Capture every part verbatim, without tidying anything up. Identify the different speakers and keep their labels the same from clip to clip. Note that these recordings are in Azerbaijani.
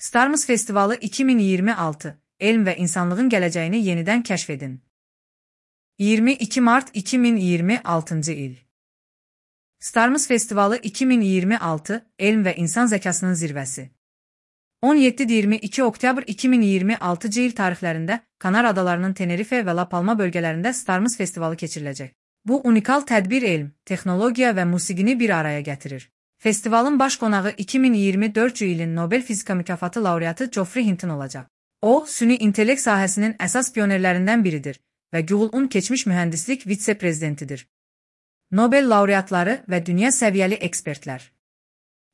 Speaker 1: Starmus Festivalı iki min iyirmi altı, elm və insanlığın gələcəyini yenidən kəşf edin. iyirmi iki Mart iki min iyirmi altıncı il. Starmus Festivalı iki min iyirmi altı, elm və insan zəkasının zirvəsi. on yeddi iyirmi iki oktyabr iki min iyirmi altıncı il tarixlərində Kanar adalarının Tenerife və La Palma bölgələrində Starmus Festivalı keçiriləcək. Bu unikal tədbir elm, texnologiya və musiqini bir araya gətirir. Festivalın baş qonağı iki min iyirmi dördüncü ilin Nobel fizika mükafatı laureatı Geoffrey Hinton olacaq. O, süni intellekt sahəsinin əsas pionerlərindən biridir və Google-un keçmiş mühəndislik vitse-prezidentidir. Nobel laureatları və dünya səviyyəli ekspertlər.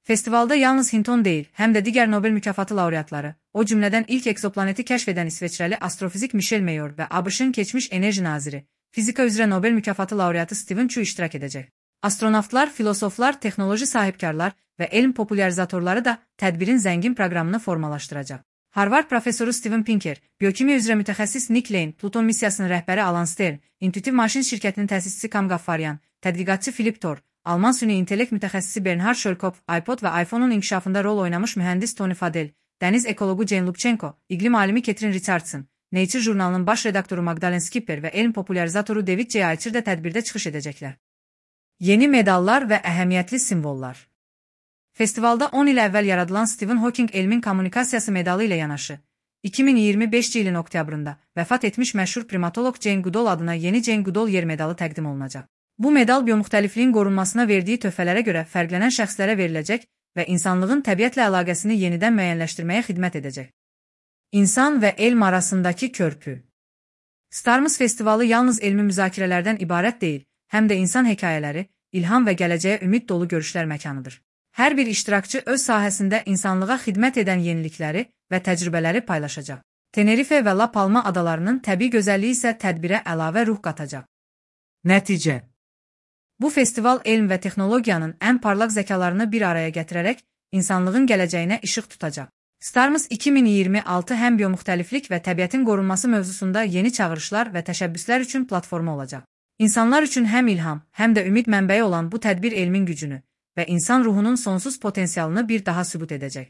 Speaker 1: Festivalda yalnız Hinton deyil, həm də digər Nobel mükafatı laureatları, o cümlədən ilk egzoplaneti kəşf edən İsveçrəli astrofizik Michel Mayor və ABŞ-ın keçmiş enerji naziri, fizika üzrə Nobel mükafatı laureatı Stephen Chu iştirak edəcək. Astronavtlar, filosoflar, texnoloji sahibkarlar və elm popularizatorları da tədbirin zəngin proqramını formalaşdıracaq. Harvard professoru Steven Pinker, biokimiya üzrə mütəxəssis Nick Lane, Pluton missiyasının rəhbəri Alan Stern, Intuitive Machines şirkətinin təsisçisi Kam Gaffaryan, tədqiqatçı Philip Thor, Alman süni intellekt mütəxəssisi Bernhard Schölkopf, iPod və iPhone-un inkişafında rol oynamış mühəndis Tony Fadell, dəniz ekologu Jane Lubchenko, iqlim alimi Catherine Richardson, Nature jurnalının baş redaktoru Magdalene Skipper və elm popularizatoru David J. Aicher də tədbirdə çıxış edəcəklər. Yeni medallar və əhəmiyyətli simvollar. Festivalda on il əvvəl yaradılan Stephen Hawking elmin kommunikasiyası medalı ilə yanaşı, iki min iyirmi beşinci ilin oktyabrında vəfat etmiş məşhur primatolog Jane Goodall adına yeni Jane Goodall yer medalı təqdim olunacaq. Bu medal biomüxtəlifliyin qorunmasına verdiyi töhfələrə görə fərqlənən şəxslərə veriləcək və insanlığın təbiətlə əlaqəsini yenidən müəyyənləşdirməyə xidmət edəcək. İnsan və elm arasındakı körpü. Starmus Festivalı yalnız elmi müzakirələrdən ibarət deyil, həm də insan hekayələri, ilham və gələcəyə ümid dolu görüşlər məkanıdır. Hər bir iştirakçı öz sahəsində insanlığa xidmət edən yenilikləri və təcrübələri paylaşacaq. Tenerife və La Palma adalarının təbii gözəlliyi isə tədbirə əlavə ruh qatacaq. Nəticə. Bu festival elm və texnologiyanın ən parlaq zəkalarını bir araya gətirərək insanlığın gələcəyinə işıq tutacaq. Starmus iki min iyirmi altı həm biomüxtəliflik və təbiətin qorunması mövzusunda yeni çağırışlar və təşəbbüslər üçün platforma olacaq. İnsanlar üçün həm ilham, həm də ümid mənbəyi olan bu tədbir elmin gücünü və insan ruhunun sonsuz potensialını bir daha sübut edəcək.